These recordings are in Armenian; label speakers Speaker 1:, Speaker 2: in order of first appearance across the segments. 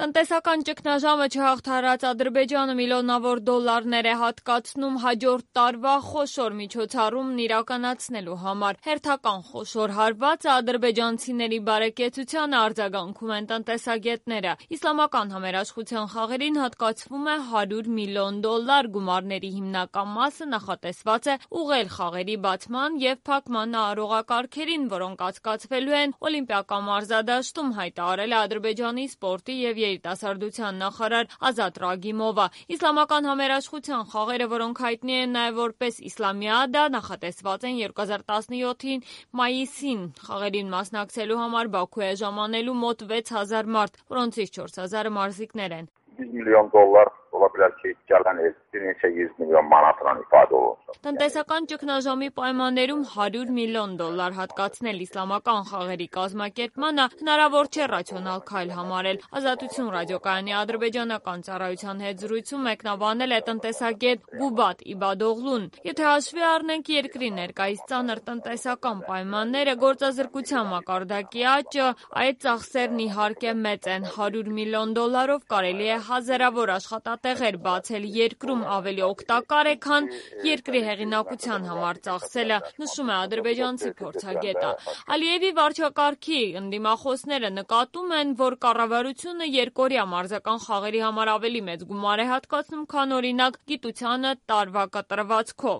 Speaker 1: Տնտեսական ճգնաժամը չհաղթարած Ադրբեջանը միլիոնավոր դոլարներ է հատկացնում հաջորդ տարվա խոշոր միջոցառումն իրականացնելու համար։ Հերթական խոշոր հարվածը ադրբեջանցիների բարեկեցությանը արձագանքում են տնտեսագետները։ Իսլամական համերաշխության խաղերին հատկացվում է $100 միլիոն, գումարների հիմնական մասը նախատեսված է ուղղել խաղերի բացման և փակման արարողակարգերին, որոնք անցկացվելու են Օլիմպիական մարզադաշտում, հայտարարել է Ադրբեջանի սպորտի և երիտասարդության նախարար Ազատ Ռագիմովը։ Իսլամական համերաշխության խաղերը, որոնք հայտնի են նաև որպես Իսլամիադա, նախատեսված են 2017-ի մայիսին։ Խաղերին մասնակցելու համար Բաքու է ժամանելու մոտ 6000 մարդ, որոնցից 4000-ը մարզիկներ են։
Speaker 2: $100 միլիոն միլիոն մանատրան իպադով։
Speaker 1: Տնտեսական ճգնաժամի պայմաններում $100 միլիոն հատկացնել իսլամական խաղերի կազմակերպմանը հնարավոր չէ ռացիոնալ քայլ համարել։ Ազատություն ռադիոկայանի ադրբեջանական ծառայության հետ զրույցում մեկնաբանել է տնտեսագետ Գուբատ Իբադօղլուն։ Եթե հաշվի առնենք երկրի ներկայիս ծանր տնտեսական պայմանները, գործազրկության մակարդակի աճը, այդ ծախսերն իհարկե մեծ են։ $100 միլիոն կարելի է հազարավոր աշխատատեղեր բացել երկրում, ավելի օգտակար է, քան երկրի հեղինակության համար ծախսելը, նշում է ադրբեջանցի փորձագետը։ Ալիևի վարչակարգի ընդդիմախոսները նկատում են, որ կառավարությունը երկօրյա մարզական խաղերի համար ավելի մեծ գումար է հատկացնում, քան օրինակ գիտությանը տարվա կտրվածքով։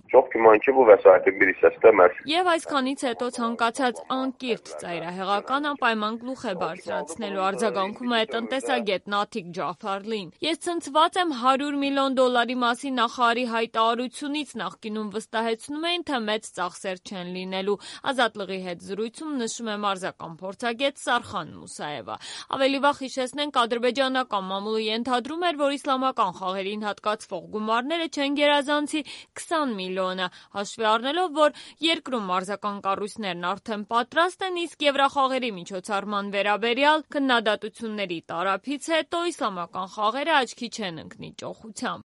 Speaker 1: Եվ այսքանից հետո ցանկացած անկիրթ ծայրահեղական անպայման գլուխ է բարձրացնելու, արձագանքում է տնտեսագետ Նաթիկ Ջաֆարլին։ Ես ցնցված եմ $100 միլիոն մասին նախարարի հայտարարությունից, նախկինում վստահեցնում էին, թե մեծ ծախսեր չեն լինելու։ Ազատլղի հետ զրույցում նշում է մարզական փորձագետ Սարխան Մուսաևը։ Ավելի վաղ հիշեցնենք, ադրբեջանական մամուլը ենթադրում էր, որ իսլամական խաղերին հատկացվող գումարները չեն գերազանցի $20 միլիոնը, հաշվի առնելով, որ երկրում մարզական կառույցներն արդեն պատրաստ են, իսկ Եվրախաղերի միջոցառման վերաբերյալ քննադատությունների տարափից հետո իսլամական խաղերը աչքի չեն ընկնի ճոխությամբ։